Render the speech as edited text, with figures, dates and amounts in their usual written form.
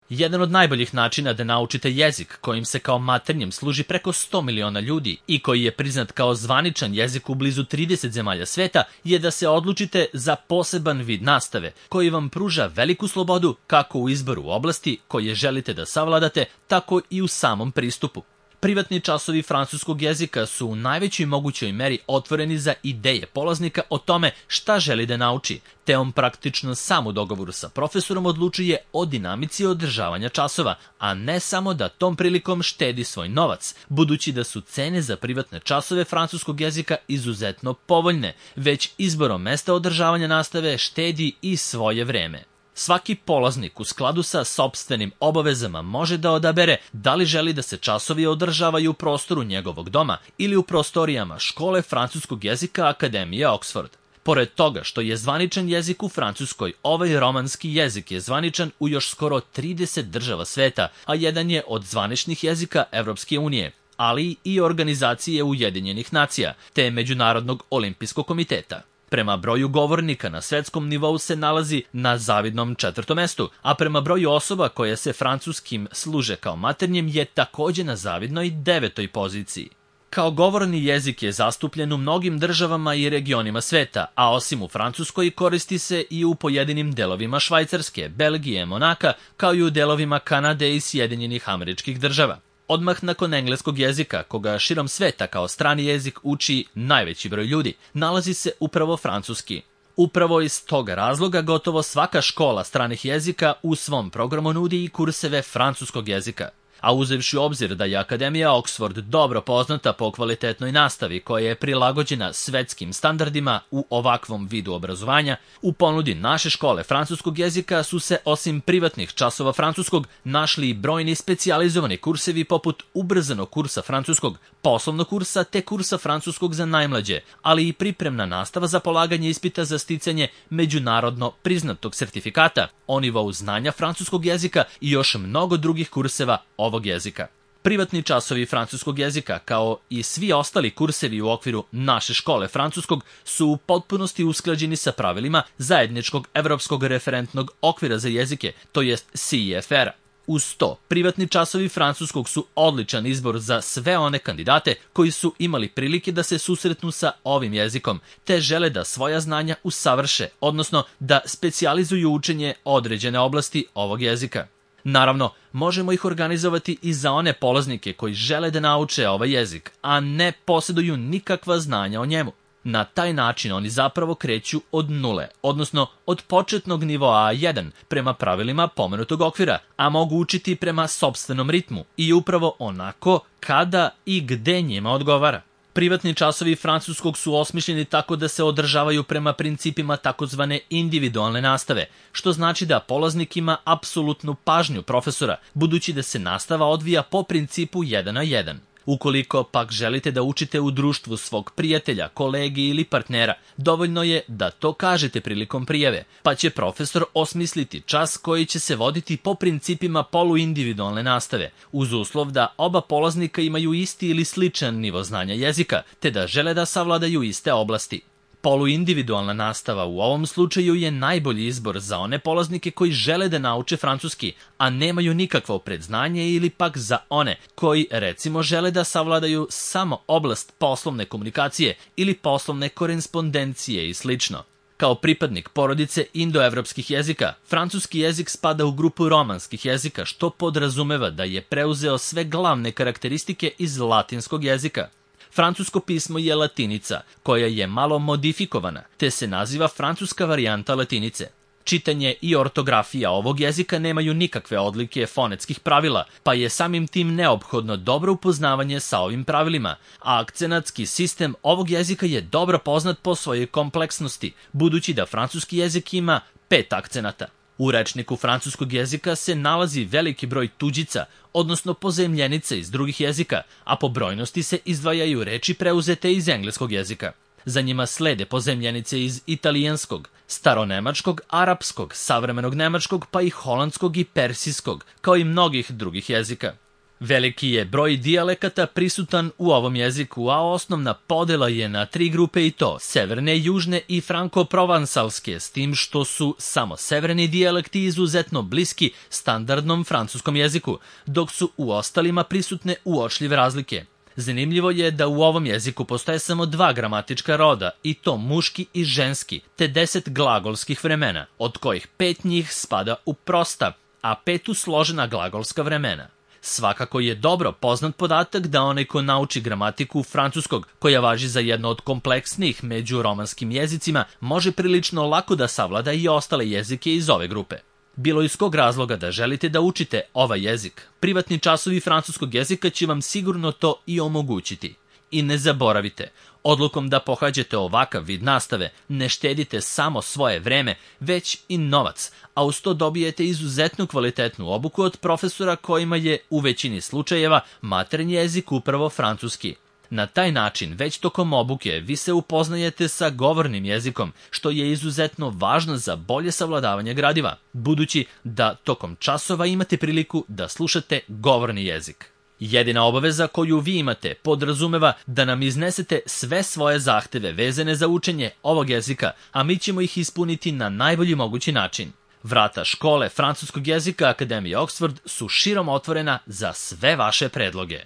Jedan od najboljih načina da naučite jezik kojim se kao maternjem služi preko 100 miliona ljudi i koji je priznat kao zvaničan jezik u blizu 30 zemalja sveta je da se odlučite za poseban vid nastave koji vam pruža veliku slobodu kako u izboru oblasti koje želite da savladate, tako i u samom pristupu. Privatni časovi francuskog jezika su u najvećoj mogućoj meri otvoreni za ideje polaznika o tome šta želi da nauči, te on praktično sam u dogovoru sa profesorom odlučuje o dinamici održavanja časova, a ne samo da tom prilikom štedi svoj novac, budući da su cene za privatne časove francuskog jezika izuzetno povoljne, već izborom mesta održavanja nastave štedi i svoje vreme. Svaki polaznik u skladu sa sopstvenim obavezama može da odabere da li želi da se časovi održavaju u prostoru njegovog doma ili u prostorijama škole francuskog jezika Akademije Oxford. Pored toga što je zvaničan jezik u Francuskoj, ovaj romanski jezik je zvaničan u još skoro 30 država sveta, a jedan je od zvaničnih jezika Evropske unije, ali i Organizacije Ujedinjenih nacija, te Međunarodnog olimpijskog komiteta. Prema broju govornika na svetskom nivou se nalazi na zavidnom 4. mestu, a prema broju osoba koje se francuskim služe kao maternjem je takođe na zavidnoj 9. poziciji. Kao govorni jezik je zastupljen u mnogim državama i regionima sveta, a osim u Francuskoj koristi se i u pojedinim delovima Švajcarske, Belgije, Monaka, kao i u delovima Kanade i Sjedinjenih Američkih Država. Odmah nakon engleskog jezika, koga širom sveta kao strani jezik uči najveći broj ljudi, nalazi se upravo francuski. Upravo iz toga razloga gotovo svaka škola stranih jezika u svom programu nudi i kurseve francuskog jezika. A uzevši u obzir da je Akademija Oxford dobro poznata po kvalitetnoj nastavi koja je prilagođena svetskim standardima u ovakvom vidu obrazovanja, u ponudi naše škole francuskog jezika su se osim privatnih časova francuskog našli i brojni specijalizovani kursevi poput ubrzanog kursa francuskog, poslovnog kursa te kursa francuskog za najmlađe, ali i pripremna nastava za polaganje ispita za sticanje međunarodno priznatog sertifikata o nivou znanja francuskog jezika i još mnogo drugih kurseva ovog jezika. Privatni časovi francuskog jezika, kao i svi ostali kursevi u okviru naše škole francuskog, su u potpunosti usklađeni sa pravilima zajedničkog evropskog referentnog okvira za jezike, to jest CEFR-a. Uz to, privatni časovi francuskog su odličan izbor za sve one kandidate koji su imali prilike da se susretnu sa ovim jezikom, te žele da svoja znanja usavrše, odnosno da specijalizuju učenje određene oblasti ovog jezika. Naravno, možemo ih organizovati i za one polaznike koji žele da nauče ovaj jezik, a ne posjeduju nikakva znanja o njemu. Na taj način oni zapravo kreću od nule, odnosno od početnog nivoa A1 prema pravilima pomenutog okvira, a mogu učiti prema sopstvenom ritmu i upravo onako kada i gde njima odgovara. Privatni časovi francuskog su osmišljeni tako da se održavaju prema principima takozvane individualne nastave, što znači da polaznik ima apsolutnu pažnju profesora, budući da se nastava odvija po principu 1 na 1. Ukoliko pak želite da učite u društvu svog prijatelja, kolege ili partnera, dovoljno je da to kažete prilikom prijave, pa će profesor osmisliti čas koji će se voditi po principima poluindividualne nastave, uz uslov da oba polaznika imaju isti ili sličan nivo znanja jezika, te da žele da savladaju iste oblasti. Poluindividualna nastava u ovom slučaju je najbolji izbor za one polaznike koji žele da nauče francuski, a nemaju nikakvo predznanje, ili pak za one koji recimo žele da savladaju samo oblast poslovne komunikacije ili poslovne korespondencije i slično. Kao pripadnik porodice indoevropskih jezika, francuski jezik spada u grupu romanskih jezika, što podrazumeva da je preuzeo sve glavne karakteristike iz latinskog jezika. Francusko pismo je latinica, koja je malo modifikovana, te se naziva francuska varijanta latinice. Čitanje i ortografija ovog jezika nemaju nikakve odlike fonetskih pravila, pa je samim tim neophodno dobro upoznavanje sa ovim pravilima, a akcenatski sistem ovog jezika je dobro poznat po svojoj kompleksnosti, budući da francuski jezik ima 5 akcenata. U rečniku francuskog jezika se nalazi veliki broj tuđica, odnosno pozajemljenica iz drugih jezika, a po brojnosti se izdvajaju reči preuzete iz engleskog jezika. Za njima slede pozajemljenice iz italijanskog, staronemačkog, arapskog, savremenog nemačkog, pa i holandskog i persijskog, kao i mnogih drugih jezika. Veliki je broj dijalekata prisutan u ovom jeziku, a osnovna podela je na 3 grupe i to severne, južne i franko-provansalske, s tim što su samo severni dijalekti izuzetno bliski standardnom francuskom jeziku, dok su u ostalima prisutne uočljive razlike. Zanimljivo je da u ovom jeziku postoje samo 2 gramatička roda, i to muški i ženski, te 10 glagolskih vremena, od kojih 5 njih spada u prosta, a 5 u složena glagolska vremena. Svakako je dobro poznat podatak da onaj ko nauči gramatiku francuskog, koja važi za jedno od kompleksnijih među romanskim jezicima, može prilično lako da savlada i ostale jezike iz ove grupe. Bilo iz kog razloga da želite da učite ovaj jezik, privatni časovi francuskog jezika će vam sigurno to i omogućiti. I ne zaboravite, odlukom da pohađate ovakav vid nastave ne štedite samo svoje vreme, već i novac, a uz to dobijete izuzetnu kvalitetnu obuku od profesora kojima je u većini slučajeva maternji jezik upravo francuski. Na taj način, već tokom obuke, vi se upoznajete sa govornim jezikom, što je izuzetno važno za bolje savladavanje gradiva, budući da tokom časova imate priliku da slušate govorni jezik. Jedina obaveza koju vi imate podrazumeva da nam iznesete sve svoje zahteve vezane za učenje ovog jezika, a mi ćemo ih ispuniti na najbolji mogući način. Vrata škole francuskog jezika Akademije Oxford su širom otvorena za sve vaše predloge.